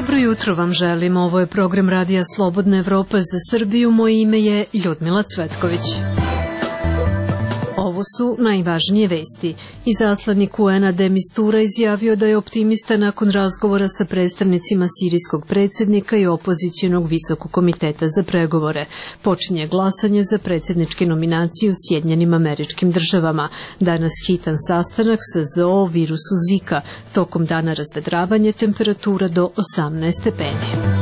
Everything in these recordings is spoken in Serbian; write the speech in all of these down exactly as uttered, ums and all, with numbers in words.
Dobro jutro vam želim, ovo je program Radija Slobodna Evropa za Srbiju, moje ime je Ljudmila Cvetković. Ovo su najvažnije vesti. Izaslanik U N-a de Mistura izjavio da je optimista nakon razgovora sa predstavnicima sirijskog predsjednika i opozicionog visokog komiteta za pregovore. Počinje glasanje za predsjedničke nominacije u Sjedinjenim Američkim Državama. Danas hitan sastanak sa Z O o virusu Zika. Tokom dana razvedravanje, temperatura do osamnaest stepeni.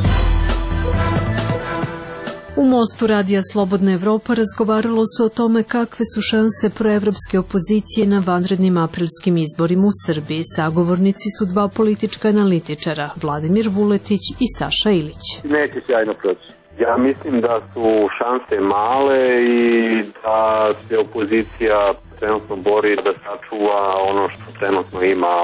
U Mostu Radija Slobodna Evropa razgovaralo se o tome kakve su šanse proevropske opozicije na vanrednim aprilskim izborima u Srbiji. Sagovornici su dva politička analitičara, Vladimir Vuletić i Saša Ilić. Neće sjajno proći. Ja mislim da su šanse male i da se opozicija trenutno bori da sačuva ono što trenutno ima.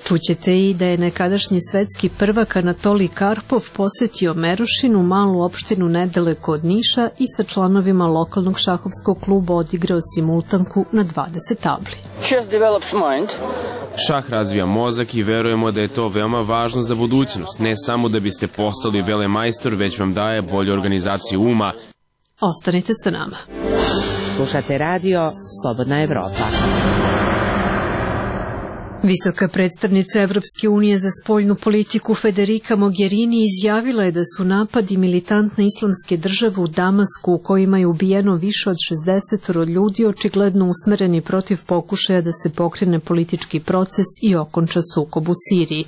Čućete i da je nekadašnji svetski prvak Anatolij Karpov posetio Merušinu, malu opštinu nedaleko od Niša, i sa članovima lokalnog šahovskog kluba odigrao simultanku na dvadeset tabli. Šah razvija mozak i verujemo da je to veoma važno za budućnost, ne samo da biste postali velemajstor, već vam daje bolju organizaciju uma. Ostanite sa nama. Slušate radio Slobodna Evropa. Visoka predstavnica Evropske unije za spoljnu politiku Federica Mogherini izjavila je da su napadi militantne islamske države u Damasku, u kojima je ubijeno više od šezdeset ljudi, očigledno usmereni protiv pokušaja da se pokrene politički proces i okonča sukob u Siriji.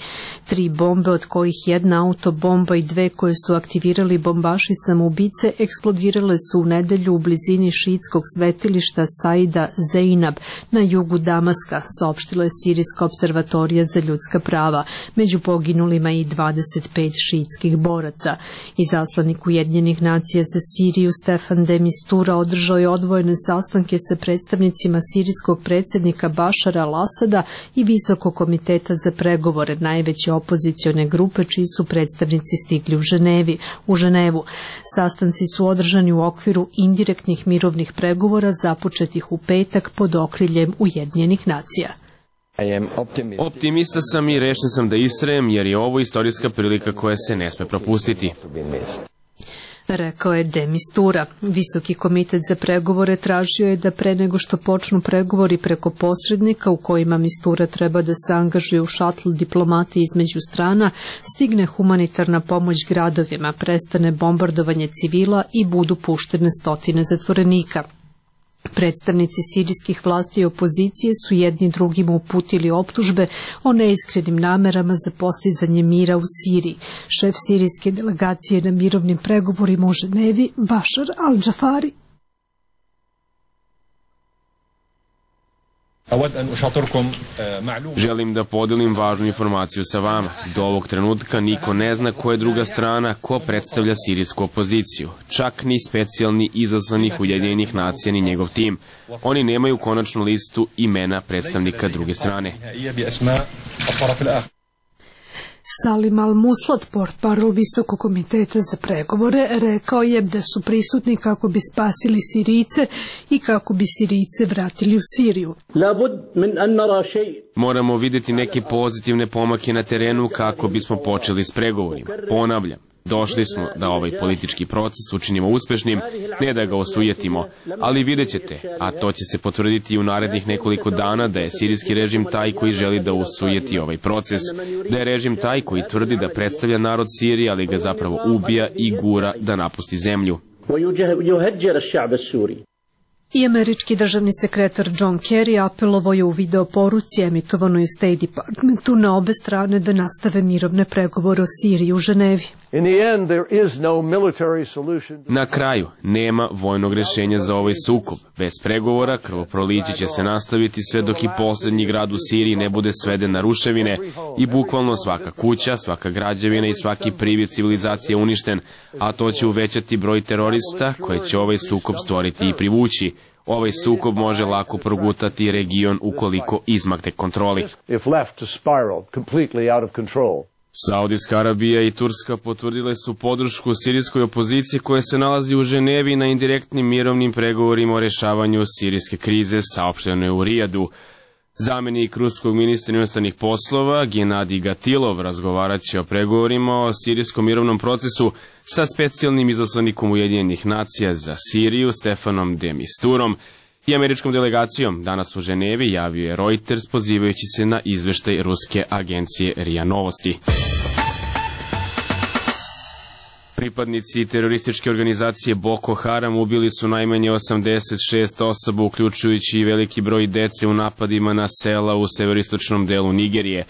Tri bombe, od kojih jedna autobomba i dve koje su aktivirali bombaši samoubice, eksplodirale su u nedelju u blizini šiitskog svetilišta Saida Zeinab na jugu Damaska, saopštila je sirijska observatorija za ljudska prava. Među poginulima i dvadeset pet šiitskih boraca. Izaslanik Ujedinjenih nacija za Siriju Stefan de Mistura održao je odvojene sastanke sa predstavnicima sirijskog predsjednika Bašara al-Asada i Visokog komiteta za pregovore, najveće opozicione grupe čiji su predstavnici stigli u Ženevi, u Ženevu. Sastanci su održani u okviru indirektnih mirovnih pregovora započetih u petak pod okriljem Ujedinjenih nacija. Optimista sam i rešen sam da istrajem, jer je ovo istorijska prilika koja se ne sme propustiti. Rekao je de Mistura. Visoki komitet za pregovore tražio je da pre nego što počnu pregovori preko posrednika, u kojima Mistura treba da se angažuje u šatl diplomati između strana, stigne humanitarna pomoć gradovima, prestane bombardovanje civila i budu puštene stotine zatvorenika. Predstavnici sirijskih vlasti i opozicije su jedni drugima uputili optužbe o neiskrenim namerama za postizanje mira u Siriji. Šef sirijske delegacije na mirovnim pregovorima u Ženevi, Bašar al-Džafari. Želim da podelim važnu informaciju sa vama. Do ovog trenutka niko ne zna ko je druga strana, ko predstavlja sirijsku opoziciju. Čak ni specijalni izaslanik Ujedinjenih nacija ni njegov tim. Oni nemaju konačnu listu imena predstavnika druge strane. Salim al-Muslat, portparol Visokog komiteta za pregovore, rekao je da su prisutni kako bi spasili Sirijce i kako bi Sirijce vratili u Siriju. Moramo vidjeti neke pozitivne pomake na terenu kako bismo počeli s pregovorima. Ponavljam, došli smo da ovaj politički proces učinimo uspešnim, ne da ga osujetimo, ali vidjet ćete, a to će se potvrditi i u narednih nekoliko dana, da je sirijski režim taj koji želi da osujeti ovaj proces, da je režim taj koji tvrdi da predstavlja narod Sirije, ali ga zapravo ubija i gura da napusti zemlju. I američki državni sekretar John Kerry apelovao je u videoporuci emitovanoj u State Departmentu na obe strane da nastave mirovne pregovore o Siriji u Ženevi. Na kraju, nema vojnog rješenja za ovaj sukob. Bez pregovora, krvoproliće će se nastaviti sve dok i posljednji grad u Siriji ne bude sveden na ruševine i bukvalno svaka kuća, svaka građevina i svaki privid civilizacije uništen, a to će uvećati broj terorista koje će ovaj sukob stvoriti i privući. Ovaj sukob može lako progutati region ukoliko izmakne kontroli. Saudijska Arabija i Turska potvrdile su podršku sirijskoj opoziciji koja se nalazi u Ženevi na indirektnim mirovnim pregovorima o rješavanju sirijske krize, saopšteno je u Rijadu. Zamenik ruskog ministra inostranih poslova Genadij Gatilov razgovarat će o pregovorima o sirijskom mirovnom procesu sa specijalnim izaslanikom Ujedinjenih nacija za Siriju Stefanom de Misturom i američkom delegacijom. Danas u Ženevi javio je Reuters pozivajući se na izveštaj ruske agencije R I A Novosti. Pripadnici terorističke organizacije Boko Haram ubili su najmanje osamdeset šest osoba, uključujući i veliki broj dece u napadima na sela u severistočnom delu Nigerije.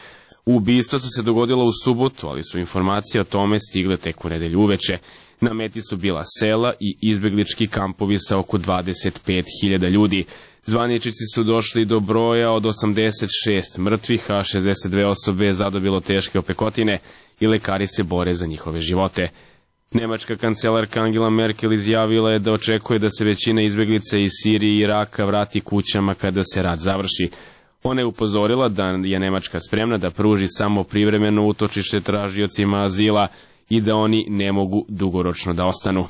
Ubistva su se dogodila u subotu, ali su informacije o tome stigle tek u nedelju uveče. Na meti su bila sela i izbeglički kampovi sa oko dvadeset pet hiljada ljudi. Zvaničnici su došli do broja od osamdeset šest mrtvih, a šezdeset dve osobe je zadobilo teške opekotine i lekari se bore za njihove živote. Nemačka kancelarka Angela Merkel izjavila je da očekuje da se većina izbeglica iz Sirije i Iraka vrati kućama kada se rat završi. Ona je upozorila da je Nemačka spremna da pruži samo privremeno utočište tražiocima azila i da oni ne mogu dugoročno da ostanu.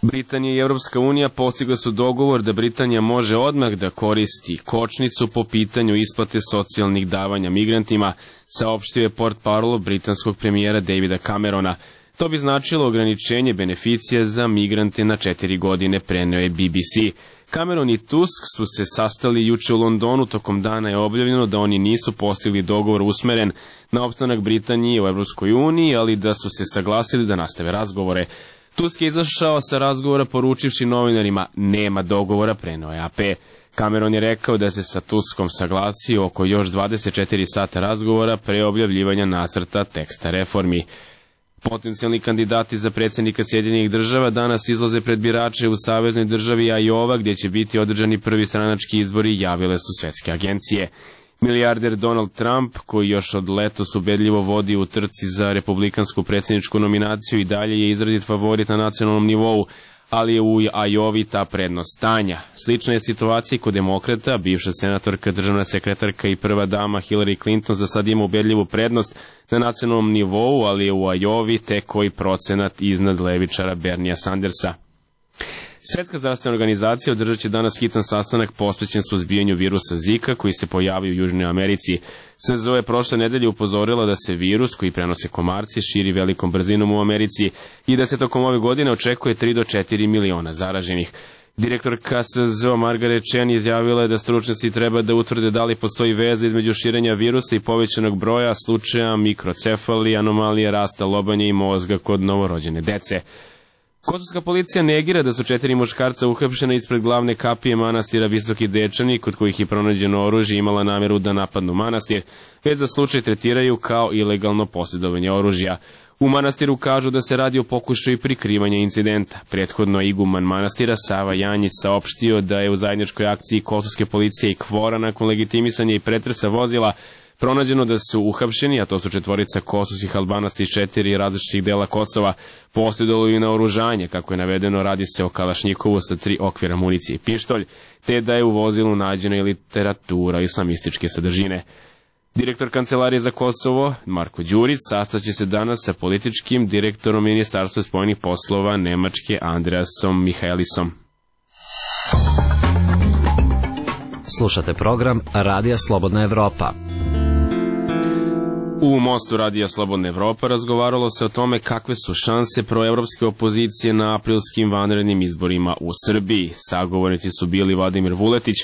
Britanija i Evropska unija postigla su dogovor da Britanija može odmah da koristi kočnicu po pitanju isplate socijalnih davanja migrantima, saopštio je portparol britanskog premijera Davida Camerona. To bi značilo ograničenje beneficija za migrante na četiri godine, preneo je B B C. Cameron i Tusk su se sastali juče u Londonu, tokom dana je objavljeno da oni nisu postigli dogovor usmeren na opstanak Britanije u Evropskoj uniji, ali da su se saglasili da nastave razgovore. Tusk je izašao sa razgovora poručivši novinarima nema dogovora, preneo je A P. Cameron je rekao da se sa Tuskom saglasio oko još dvadeset četiri sata razgovora pre objavljivanja nacrta teksta reformi. Potencijalni kandidati za predsjednika Sjedinjenih država danas izlaze pred birače u saveznoj državi Iowa, gdje će biti održani prvi stranački izbori, javile su svetske agencije. Milijarder Donald Trump, koji još od letos ubedljivo vodi u trci za republikansku predsjedničku nominaciju, i dalje je izrazit favorit na nacionalnom nivou, ali je u Iowi ta prednost stanja. Slična je situacija kod demokrata, bivša senatorka, državna sekretarka i prva dama Hillary Clinton za sad ima ubedljivu prednost na nacionalnom nivou, ali je u Iowi tek koji procenat iznad levičara Bernija Sandersa. Svetska zdravstvena organizacija održat će danas hitan sastanak posvećen suzbijanju virusa Zika koji se pojavio u Južnoj Americi. S Z O je prošle nedelje upozorila da se virus koji prenose komarci širi velikom brzinom u Americi i da se tokom ove godine očekuje tri do četiri miliona zaraženih. Direktorka S Z O Margaret Chan izjavila je da stručnjaci treba da utvrde da li postoji veza između širenja virusa i povećanog broja slučaja mikrocefalije, anomalije rasta lobanja i mozga kod novorođene dece. Kosovska policija negira da su četiri muškarca uhapšena ispred glavne kapije manastira Visoki Dečani, kod kojih je pronađeno oružje, imala nameru da napadnu manastir, već za slučaj tretiraju kao ilegalno posjedovanje oružja. U manastiru kažu da se radi o pokušaju prikrivanja incidenta. Prethodno iguman manastira Sava Janjić saopštio da je u zajedničkoj akciji kosovske policije i Kvora nakon legitimisanja i pretresa vozila pronađeno da su uhapšeni, a to su četvorica kosovskih Albanaca iz četiri različitih dela Kosova, posjedovali i naoružanje, kako je navedeno, radi se o kalašnjikovu sa tri okvira municije i pištolj, te da je u vozilu nađena i literatura islamističke sadržine. Direktor Kancelarije za Kosovo, Marko Đurić, sastaće se danas sa političkim direktorom Ministarstva spoljnih poslova Nemačke Andreasom Mihaelisom. Slušate program Radija Slobodna Evropa. U Mostu Radija Slobodna Evropa razgovaralo se o tome kakve su šanse proevropske opozicije na aprilskim vanrednim izborima u Srbiji. Sagovornici su bili Vladimir Vuletić,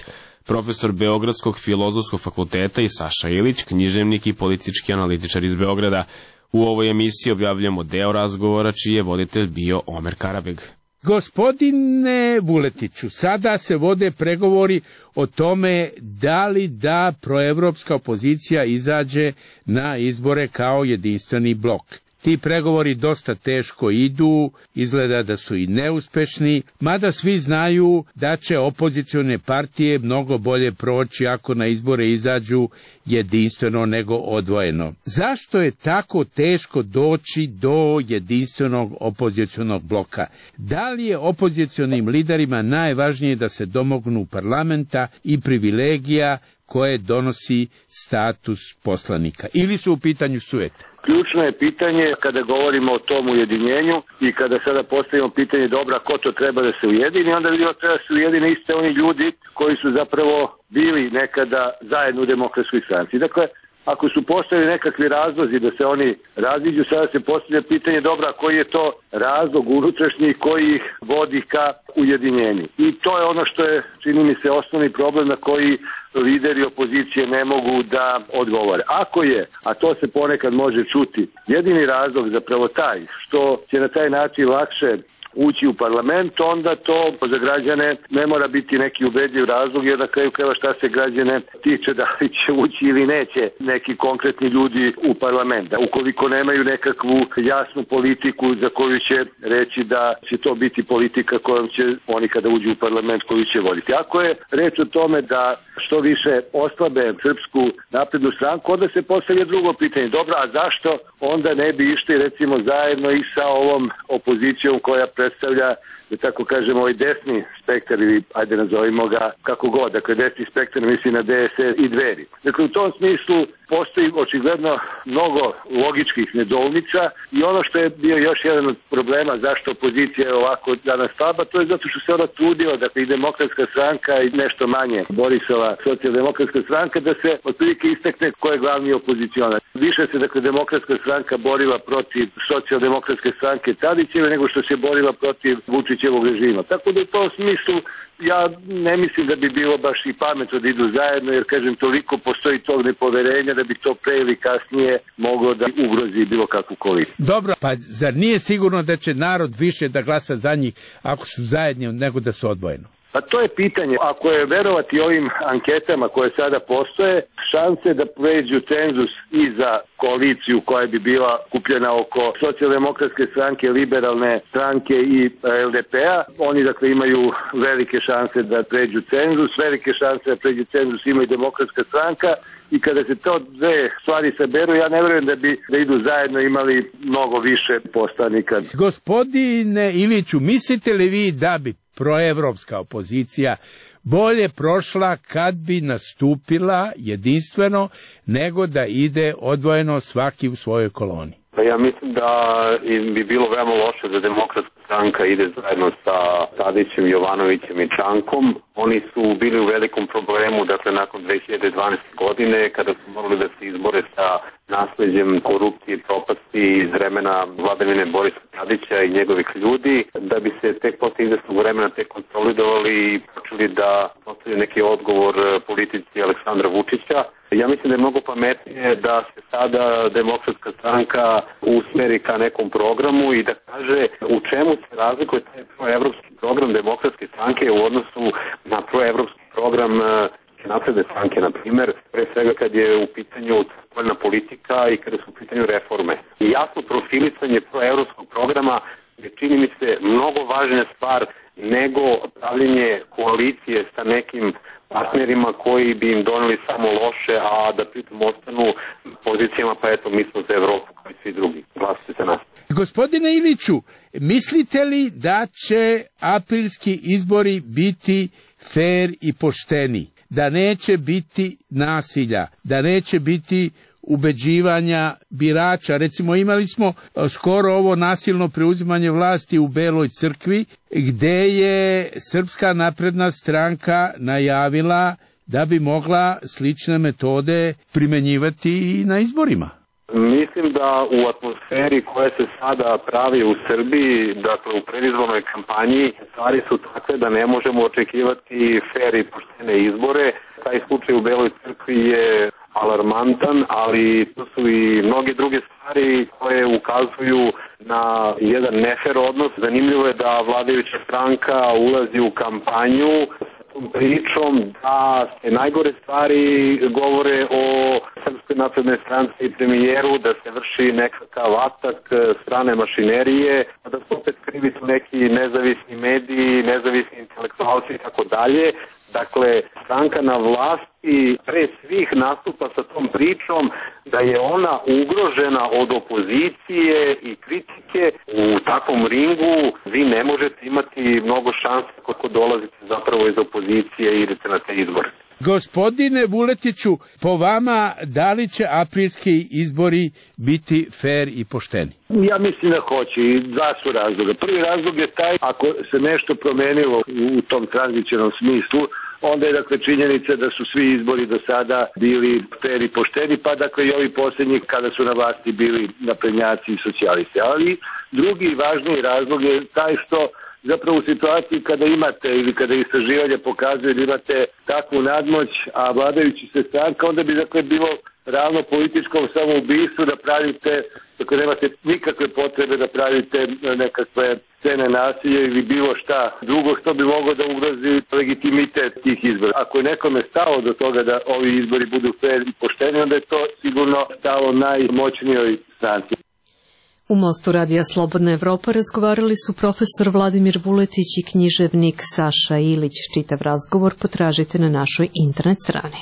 profesor Beogradskog filozofskog fakulteta, i Saša Ilić, književnik i politički analitičar iz Beograda. U ovoj emisiji objavljamo deo razgovora čiji je voditelj bio Omer Karabeg. Gospodine Vuletiću, sada se vode pregovori o tome da li da proevropska opozicija izađe na izbore kao jedinstveni blok. Ti pregovori dosta teško idu, izgleda da su i neuspešni, mada svi znaju da će opozicione partije mnogo bolje proći ako na izbore izađu jedinstveno nego odvojeno. Zašto je tako teško doći do jedinstvenog opozicionog bloka? Da li je opozicionim liderima najvažnije da se domognu parlamenta i privilegija koje donosi status poslanika, ili su u pitanju sujete? Ključno je pitanje kada govorimo o tom ujedinjenju i kada sada postavimo pitanje dobra ko to treba da se ujedini, onda vidimo treba da se ujedine iste oni ljudi koji su zapravo bili nekada zajedno u Demokratskoj stranci. Dakle, ako su postavili nekakvi razlozi da se oni raziđu, sada se postavlja pitanje dobra koji je to razlog unutrašnji koji ih vodi ka ujedinjenju. I to je ono što je, čini mi se, osnovni problem na koji lideri opozicije ne mogu da odgovore. Ako je, a to se ponekad može čuti, jedini razlog zapravo taj što će na taj način lakše ući u parlament, onda to za građane ne mora biti neki ubedljiv razlog, jer na kraju krajeva šta se građane tiče da li će ući ili neće neki konkretni ljudi u parlament. Ukoliko nemaju nekakvu jasnu politiku za koju će reći da će to biti politika kojom će oni kada uđu u parlament koju će voditi. Ako je reč o tome da što više oslabe Srpsku naprednu stranku, onda se postavlja drugo pitanje. Dobro, a zašto onda ne bi išli recimo zajedno i sa ovom opozicijom koja predstavlja, da tako kažemo, ovaj desni spektar ili ajde nazovimo ga kako god, dakle desni spektar misli na D S S i Dveri. Dakle u tom smislu postoji očigledno mnogo logičkih nedoumica i ono što je bio još jedan od problema zašto opozicija je ovako danas slaba, to je zato što se ona trudila, dakle i Demokratska stranka i nešto manje Borisova socijaldemokratska stranka, da se otprilike istakne ko je glavni opozicionar. Više se dakle Demokratska stranka borila protiv socijaldemokratske stranke Tadićeve nego što se borila protiv Vučićevog režima. Tako da u tom smislu ja ne mislim da bi bilo baš i pametno da idu zajedno, jer kažem toliko postoji tog nepoverenja da bi to pre ili kasnije moglo da ugrozi bilo kakvu koaliciju. Dobro, pa zar nije sigurno da će narod više da glasa za njih ako su zajedni nego da su odvojeno? Pa to je pitanje. Ako je verovati ovim anketama koje sada postoje, šanse da pređu cenzus i za koaliciju koja bi bila kupljena oko socijaldemokratske stranke, liberalne stranke i L D P-a, oni dakle imaju velike šanse da pređu cenzus, velike šanse da pređu cenzus ima i Demokratska stranka i kada se to dve stvari saberu, ja ne verujem da bi da idu zajedno imali mnogo više poslanika. Gospodine Iliću, mislite li vi da bi proevropska opozicija bolje prošla kad bi nastupila jedinstveno nego da ide odvojeno svaki u svojoj koloni? Ja mislim da bi bilo veoma loše da Demokratska stranka ide zajedno sa Tadićem, Jovanovićem i Čankom. Oni su bili u velikom problemu, dakle, nakon dve hiljade dvanaeste. godine, kada su morali da se izbore sa nasleđem korupcije i propasti iz vremena vladavine Borisa Tadića i njegovih ljudi, da bi se tek posle izvesnog vremena tek konsolidovali i počeli da postavljaju neki odgovor politici Aleksandra Vučića. Ja mislim da je mnogo pametnije da se sada Demokratska stranka usmeri ka nekom programu i da kaže u čemu se razlikuje taj proevropski program Demokratske stranke u odnosu na proevropski program napredne stranke, na primjer, pre svega kad je u pitanju spoljna politika i kada su u pitanju reforme. I jasno profilisanje proevropskog programa je, čini mi se, mnogo važna stvar nego pravljenje koalicije sa nekim partnerima koji bi im doneli samo loše, a da pritom ostanu pozicijama, pa eto, mi smo za Evropu kao i svi drugi. Glasite za nas. Gospodine Iliću, mislite li da će aprilski izbori biti fer i pošteni? Da neće biti nasilja, da neće biti ubeđivanja birača. Recimo imali smo skoro ovo nasilno preuzimanje vlasti u Beloj crkvi, gde je Srpska napredna stranka najavila da bi mogla slične metode primenjivati i na izborima. Mislim da u atmosferi koja se sada pravi u Srbiji, dakle u predizbornoj kampanji, stvari su takve da ne možemo očekivati fer i poštene izbore. Taj slučaj u Beloj crkvi je alarmantan, ali to su i mnoge druge stvari koje ukazuju na jedan nefer odnos. Zanimljivo je da vladajuća stranka ulazi u kampanju sa tom pričom da se najgore stvari govore o Srpskoj naprednoj stranci i premijeru, da se vrši nekakav atak strane mašinerije, da se opet krivi su neki nezavisni mediji, nezavisni intelektualci i tako dalje. Dakle, stranka na vlasti pre svih nastupa sa tom pričom da je ona ugrožena od opozicije i kritike. U takvom ringu vi ne možete imati mnogo šanse kako dolazite zapravo iz opozicije i idete na te izbore. Gospodine Vuletiću, po vama, da li će aprilski izbori biti fer i pošteni? Ja mislim da hoće i dva su razloga. Prvi razlog je taj, ako se nešto promenilo u tom tranzicionom smislu, onda je dakle činjenica da su svi izbori do sada bili fer i pošteni, pa dakle i ovi posljednji kada su na vlasti bili naprednjaci i socijalisti. Ali drugi i važniji razlog je taj što zapravo u situaciji kada imate ili kada istraživanje pokazuje da imate takvu nadmoć, a vladajući se stranka, onda bi dakle bilo ravno političkom samoubistvu da pravite, dakle nemate nikakve potrebe da pravite nekakve scene nasilja ili bilo šta drugo što bi moglo da ugrozi legitimitet tih izbora. Ako je nekome stalo do toga da ovi izbori budu fer i pošteni, onda je to sigurno stalo najmoćnijoj stranci. U Mostu Radija Slobodna Evropa razgovarali su profesor Vladimir Vuletić i književnik Saša Ilić. Čitav razgovor potražite na našoj internet strani.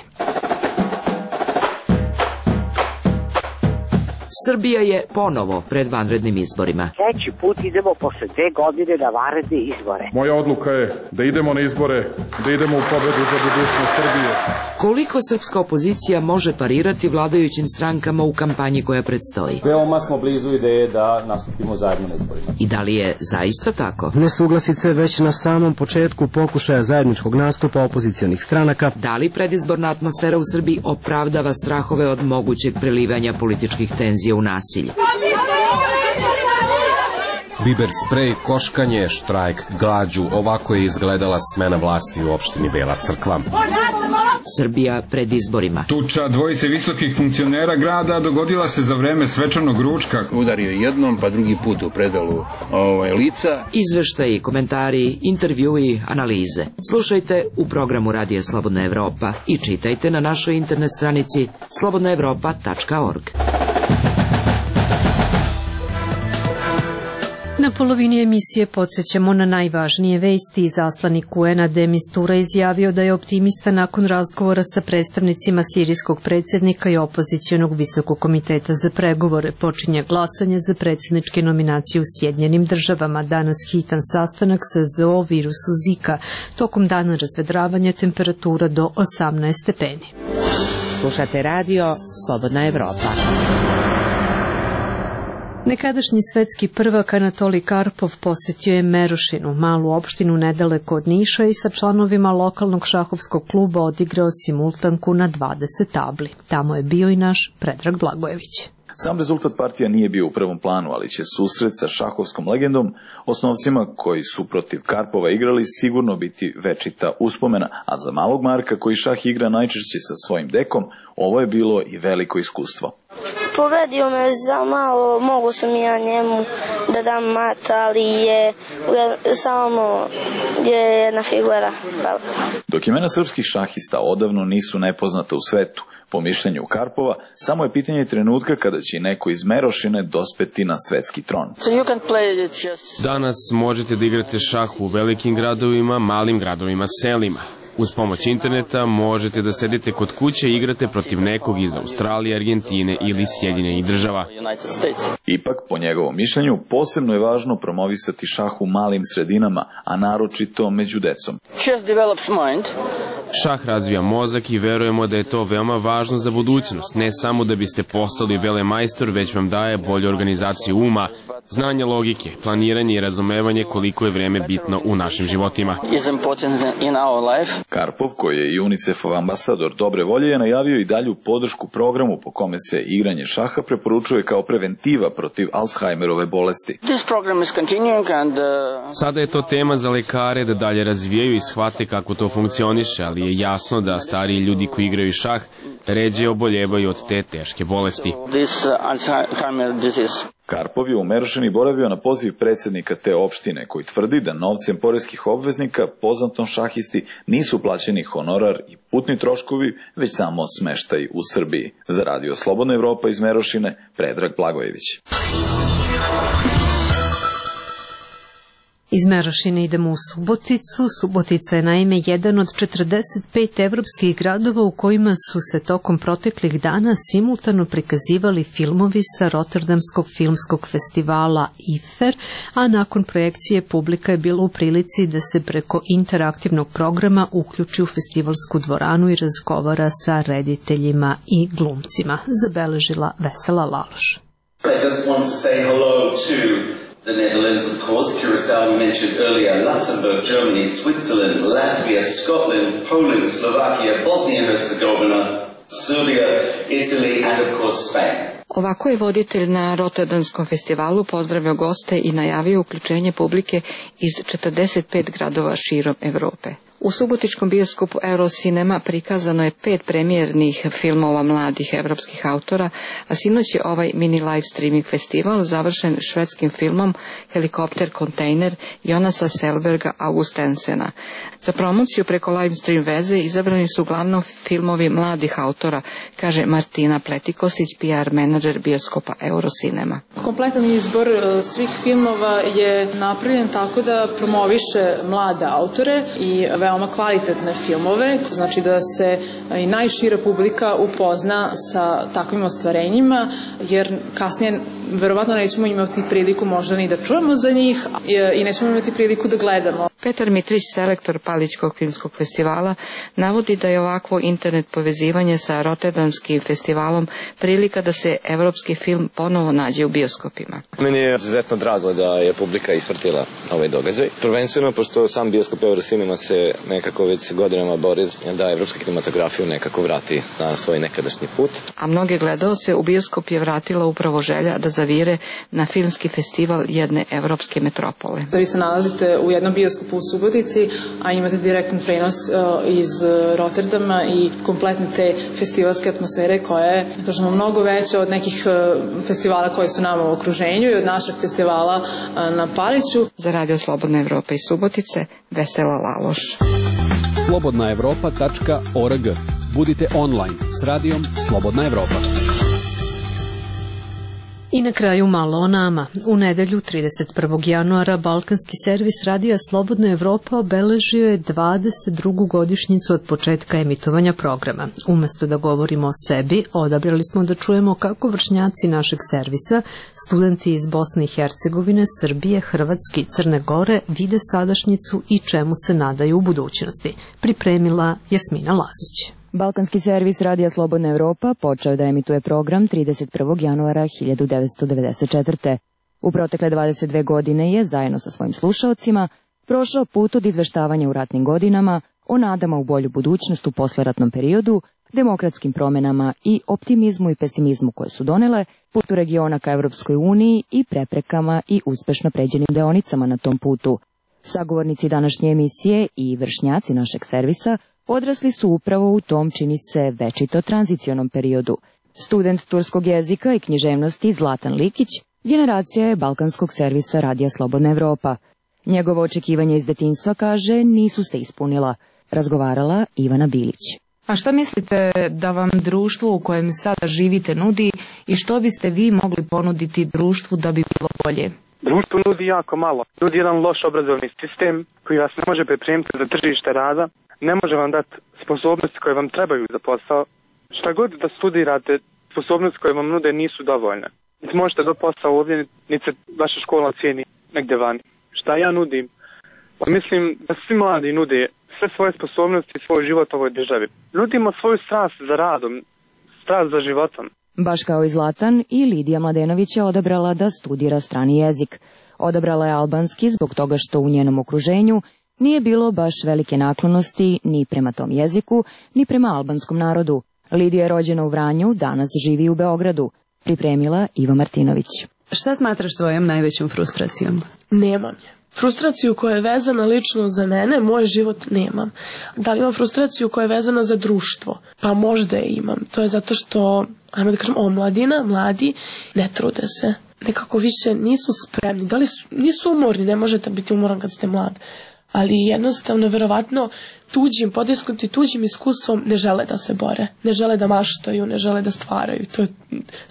Srbija je ponovo pred vanrednim izborima. Treći put idemo posle dve godine na vanredne izbore. Moja odluka je da idemo na izbore, da idemo u pobedu za budućnost Srbije. Koliko srpska opozicija može parirati vladajućim strankama u kampanji koja predstoji? Veoma smo blizu ideje da nastupimo zajedno na izborima. I da li je zaista tako? Nesuglasice već na samom početku pokušaja zajedničkog nastupa opozicionih stranaka. Da li predizborna atmosfera u Srbiji opravdava strahove od mogućeg prelivanja političkih tenzija u nasilje? Biber sprej, koškanje, štrajk, glađu, ovako je izgledala smena vlasti u opštini Bela Crkva. Srbija pred izborima. Tuča dvojice visokih funkcionera grada dogodila se za vreme svečanog ručka. Udario jednom, pa drugi put u predalu ovaj, lica. Izveštaji, komentari, intervjui, analize. Slušajte u programu Radija Slobodna Evropa i čitajte na našoj internet stranici slobodna evropa tačka org. Na polovini emisije podsjećamo na najvažnije vesti. Izaslanik U N-a De Mistura izjavio da je optimista nakon razgovora sa predstavnicima sirijskog predsjednika i opozicionog visokog komiteta za pregovore. Počinje glasanje za predsjedničke nominacije u Sjedinjenim državama. Danas hitan sastanak sa Z O o virusu Zika. Tokom dana razvedravanja temperatura do osamnaest stepeni. Slušate radio Slobodna Evropa. Nekadašnji svetski prvak Anatolij Karpov posjetio je Merošinu, malu opštinu nedaleko od Niša, i sa članovima lokalnog šahovskog kluba odigrao simultanku na dvadeset tabli. Tamo je bio i naš Predrag Blagojević. Sam rezultat partija nije bio u prvom planu, ali će susret sa šahovskom legendom, osnovcima koji su protiv Karpova igrali, sigurno biti večita uspomena, a za malog Marka koji šah igra najčešće sa svojim dekom, ovo je bilo i veliko iskustvo. Pobedio me za malo, mogu sam ja njemu da dam mat, ali je samo je jedna figura. Dok imena srpskih šahista odavno nisu nepoznata u svetu, po mišljenju Karpova, samo je pitanje trenutka kada će neko iz Merošine dospeti na svetski tron. Danas možete da igrate šah u velikim gradovima, malim gradovima, selima. Uz pomoć interneta možete da sedite kod kuće i igrate protiv nekog iz Australije, Argentine ili Sjedinjenih država. Ipak, po njegovom mišljenju, posebno je važno promovisati šah u malim sredinama, a naročito među decom. Šah razvija mozak i verujemo da je to veoma važno za budućnost, ne samo da biste postali velemajstor, već vam daje bolju organizaciju uma, znanje logike, planiranje i razumevanje koliko je vreme bitno u našim životima. Karpov, koji je i UNICEF-ov ambasador dobre volje, je najavio i dalju podršku programu po kome se igranje šaha preporučuje kao preventiva protiv Alzheimerove bolesti. Sada je to tema za lekare da dalje razvijaju i shvate kako to funkcioniše, ali je jasno da stariji ljudi koji igraju šah ređe oboljevaju od te teške bolesti. Karpov je u Merošini boravio na poziv predsjednika te opštine, koji tvrdi da novcem poreskih obveznika poznatom šahisti nisu plaćeni honorar i putni troškovi, već samo smeštaj u Srbiji. Za Radio Slobodna Evropa iz Merošine, Predrag Blagojević. Iz Merošine idemo u Suboticu. Subotica je naime jedan od četrdeset pet evropskih gradova u kojima su se tokom proteklih dana simultano prikazivali filmovi sa Rotterdamskog filmskog festivala I F E R, a nakon projekcije publika je bila u prilici da se preko interaktivnog programa uključi u festivalsku dvoranu i razgovara sa rediteljima i glumcima, zabeležila Vesela Laloš. I just want to say hello to the Netherlands, of course, Curacao we mentioned earlier, Luxembourg, Germany, Switzerland, Latvia, Scotland, Poland, Slovakia, Bosnia and Herzegovina, Serbia, Italy and of course Spain. Ovako je voditelj na Rotterdamskom festivalu pozdravio goste i najavio uključenje publike iz četrdeset pet gradova širom Evrope. U subotičkom bioskopu Eurocinema prikazano je pet premijernih filmova mladih evropskih autora, a sinoć je ovaj mini live streaming festival završen švedskim filmom Helikopter kontejner Jonasa Selberga Augustensena. Za promociju preko live stream veze izabrani su uglavnom filmovi mladih autora, kaže Martina Pletikosić, P R menadžer bioskopa Eurocinema. Kompletan izbor svih filmova je napravljen tako da promoviše mlade autore i veoma kvalitetne filmove, znači da se i najšira publika upozna sa takvim ostvarenjima, jer kasnije verovatno nećemo imati priliku možda ni da čujemo za njih i nećemo imati priliku da gledamo. Petar Mitrić, selektor Palićkog filmskog festivala, navodi da je ovakvo internet povezivanje sa Rotterdamskim festivalom prilika da se evropski film ponovo nađe u bioskopima. Meni je izuzetno drago da je publika ispratila ovaj događaj. Prvenstveno, pošto sam bioskop Eurocinema se nekako već godinama bori da evropska kinematografiju nekako vrati na svoj nekadašnji put. A mnoge gledaoce u bioskop je vratila upravo želja da zavire na filmski festival jedne evropske metropole. Da vi se nalazite u jednom bioskopu u Subotici, a imate direktan prenos iz Rotterdama i kompletne te festivalske atmosfere koja je, da kažemo, mnogo veća od nekih festivala koji su nama u okruženju i od našeg festivala na Paliću. Za Radio Slobodna Evropa iz Subotice, Vesela Laloš. slobodna evropa tačka org. Budite online s radijom Slobodna Evropa. I na kraju malo o nama. U nedelju trideset prvog januara Balkanski servis Radija Slobodna Evropa obeležio je dvadeset drugu godišnjicu od početka emitovanja programa. Umesto da govorimo o sebi, odabrali smo da čujemo kako vršnjaci našeg servisa, studenti iz Bosne i Hercegovine, Srbije, Hrvatske i Crne Gore vide sadašnjicu i čemu se nadaju u budućnosti. Pripremila Jasmina Lazić. Balkanski servis Radija Slobodna Evropa počeo da emituje program trideset prvog januara hiljadu devetsto devedeset četvrte. U protekle dvadeset dve godine je, zajedno sa svojim slušaocima, prošao put od izveštavanja u ratnim godinama, o nadama u bolju budućnost u posleratnom periodu, demokratskim promenama i optimizmu i pesimizmu koje su donele, putu regiona ka Evropskoj uniji i preprekama i uspešno pređenim deonicama na tom putu. Sagovornici današnje emisije i vršnjaci našeg servisa odrasli su upravo u tom, čini se, večito tranzicionom periodu. Student turskog jezika i književnosti Zlatan Likić generacija je Balkanskog servisa Radija Slobodna Evropa. Njegovo očekivanje iz detinjstva, kaže, nisu se ispunila. Razgovarala Ivana Bilić. A šta mislite da vam društvo u kojem sada živite nudi i što biste vi mogli ponuditi društvu da bi bilo bolje? Društvo nudi jako malo. Nudi jedan loš obrazovni sistem koji vas ne može pripremiti za tržište rada, ne može vam dati sposobnosti koje vam trebaju za posao. Šta god da studirate, sposobnosti koje vam nude nisu dovoljne. Niti možete do posao ovdje, niti se vaša škola cijeni negdje vani. Šta ja nudim? Pa mislim da svi mladi nude sve svoje sposobnosti i svoj život ovoj državi. Nudimo svoju strast za radom, strast za životom. Baš kao i Zlatan, i Lidija Mladenović je odabrala da studira strani jezik. Odabrala je albanski zbog toga što u njenom okruženju nije bilo baš velike naklonosti ni prema tom jeziku, ni prema albanskom narodu. Lidija je rođena u Vranju, danas živi u Beogradu. Pripremila Iva Martinović. Šta smatraš svojom najvećom frustracijom? Nemam je. Frustraciju koja je vezana lično za mene, moj život nemam. Da li imam frustraciju koja je vezana za društvo? Pa možda je imam. To je zato što, ajmo da kažem, omladina, mladi, ne trude se. Nekako više nisu spremni. Da li su, nisu umorni, ne možete biti umoran kad ste mlad. Ali jednostavno, verovatno, tuđim, potisnuti tuđim iskustvom ne žele da se bore. Ne žele da maštaju, ne žele da stvaraju. To je,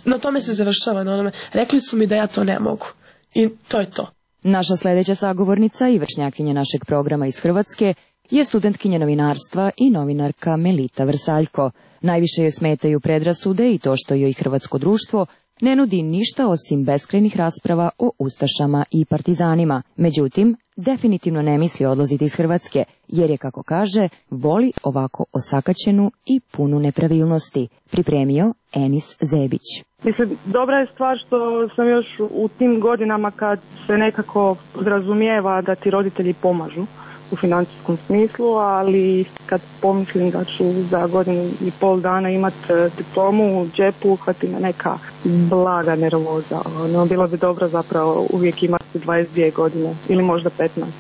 na tome se završava. Na onome. Rekli su mi da ja to ne mogu. I to je to. Naša sledeća sagovornica i vršnjakinja našeg programa iz Hrvatske je studentkinja novinarstva i novinarka Melita Vrsaljko. Najviše je smetaju predrasude i to što joj hrvatsko društvo ne nudi ništa osim beskrajnih rasprava o ustašama i partizanima. Međutim, definitivno ne misli odlaziti iz Hrvatske, jer je, kako kaže, voli ovako osakaćenu i punu nepravilnosti. Pripremio Enis Zebić. Mislim, dobra je stvar što sam još u tim godinama kad se nekako podrazumijeva da ti roditelji pomažu u financijskom smislu, ali kad pomislim da ću za godinu i pol dana imati diplomu u džepu, uhvati me neka blaga nervoza. No, bilo bi dobro zapravo uvijek imati dvadeset dvije godine ili možda petnaest.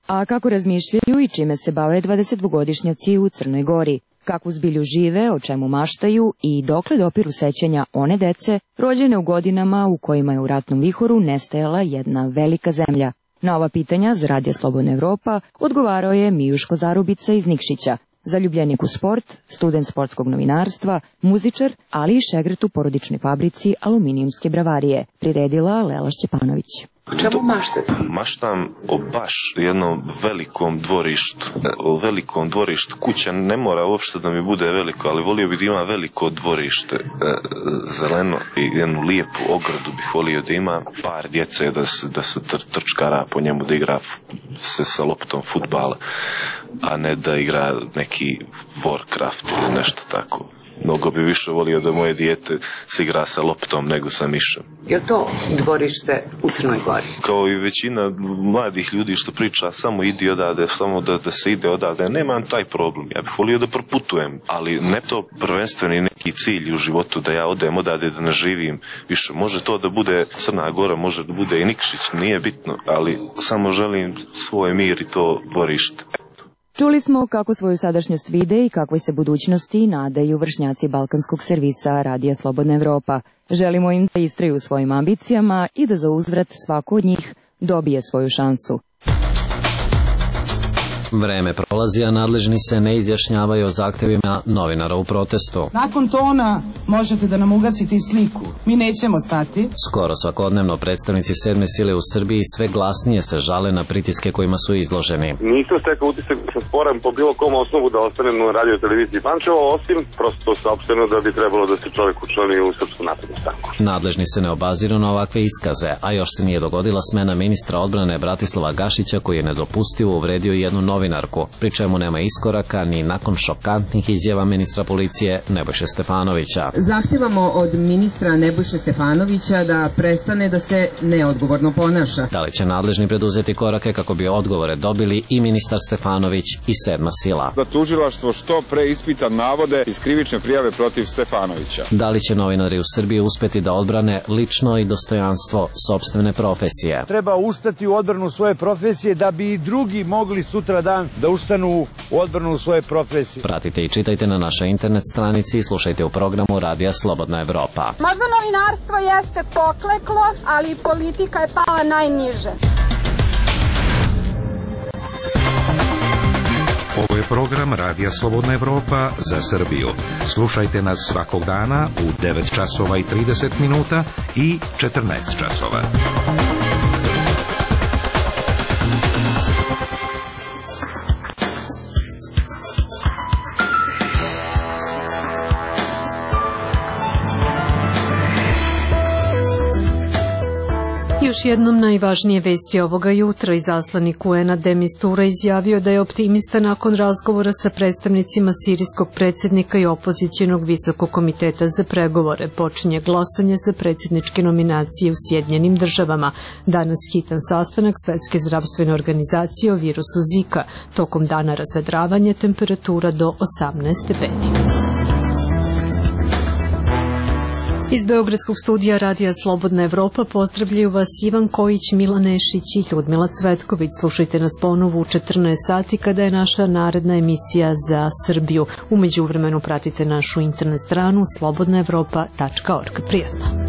A kako razmišljaju i čime se bave dvadesetdvogodišnjaci u Crnoj Gori? Kakvu zbilju žive, o čemu maštaju i dokle dopiru sećanja one dece rođene u godinama u kojima je u ratnom vihoru nestajala jedna velika zemlja? Na ova pitanja za Radio Slobodna Evropa odgovarao je Mijuško Zarubica iz Nikšića, zaljubljenik u sport, student sportskog novinarstva, muzičar, ali i šegret u porodičnoj fabrici aluminijumske bravarije, priredila Lela Šćepanović. O čemu maštate? Maštam o baš jednom velikom dvorištu. O velikom dvorištu. Kuća ne mora uopšte da mi bude veliko, ali volio bih da ima veliko dvorište, zeleno i jednu lijepu ogradu bih volio da ima, par djece da se, da se tr, trčkara po njemu, da igra se sa loptom fudbala, a ne da igra neki Warcraft ili nešto tako. Mnogo bi više volio da moje dijete se igra sa loptom nego sa mišem. Je li to dvorište u Crnoj Gori? Kao i većina mladih ljudi što priča, samo idi odavde, samo da, da se ide odavde. Nemam taj problem. Ja bih volio da proputujem, ali ne to prvenstveni neki cilj u životu da ja odem odavde, da ne živim više. Može to da bude Crna Gora, može da bude i Nikšić, nije bitno, ali samo želim svoj mir i to dvorište. Čuli smo kako svoju sadašnjost vide i kakvoj se budućnosti nadaju vršnjaci balkanskog servisa Radija Slobodna Evropa. Želimo im da istraju u svojim ambicijama i da za uzvrat svako od njih dobije svoju šansu. Vreme prolazi, a nadležni se ne izjašnjavaju o zahtevima novinara u protestu. Nakon tona možete da nam ugasite sliku. Mi nećemo stati. Skoro svakodnevno predstavnici sedme sile u Srbiji sve glasnije se žale na pritiske kojima su izloženi. Nisam stekao utisak da se sporam po bilo kom osnovu da ostanem na radio televiziji Pančevo, osim prosto saopšteno da bi trebalo da se čovjek učlani u Srpsku naprednu stranku. Nadležni se ne obaziru na ovakve iskaze, a još se nije dogodila smena ministra odbrane Bratislava Gašića, koji je nedopustivo uvredio jednu novinarku, pri čemu nema iskoraka ni nakon šokantnih izjava ministra policije Nebojše Stefanovića. Zahtevamo od ministra Nebojše Stefanovića da prestane da se neodgovorno ponaša. Da li će nadležni preduzeti korake kako bi odgovore dobili i ministar Stefanović i sedma sila? Da tužilaštvo što pre ispita navode iz krivične prijave protiv Stefanovića. Da li će novinari u Srbiji uspeti da odbrane lično i dostojanstvo sopstvene profesije? Treba ustati u odbranu svoje profesije da bi i drugi mogli sutra dan da ustanu u odbranu svoje profesije. Pratite i čitajte na našoj internet stranici i slušajte u programu Radija Slobodna Evropa. Možda novinarstvo jeste pokleklo, ali politika je pala najniže. Ovo je program Radija Slobodna Evropa za Srbiju. Slušajte nas svakog dana u devet časova i trideset minuta i četrnaest časova. Još jednom najvažnije vesti ovoga jutra. Izaslanik U N-a de Mistura izjavio da je optimista nakon razgovora sa predstavnicima sirijskog predsjednika i opozicionog visokog komiteta za pregovore. Počinje glasanje za predsjedničke nominacije u Sjedinjenim državama. Danas hitan sastanak Svetske zdravstvene organizacije o virusu Zika. Tokom dana razvedravanje, temperatura do osamnaest stepeni. Iz Beogradskog studija Radija Slobodna Evropa pozdravljaju vas Ivan Kojić, Milan Nešić i Ljudmila Cvetković. Slušajte nas ponovo u četrnaest sati kada je naša naredna emisija za Srbiju. U međuvremenu pratite našu internet stranu slobodna evropa tačka org. Prijatno.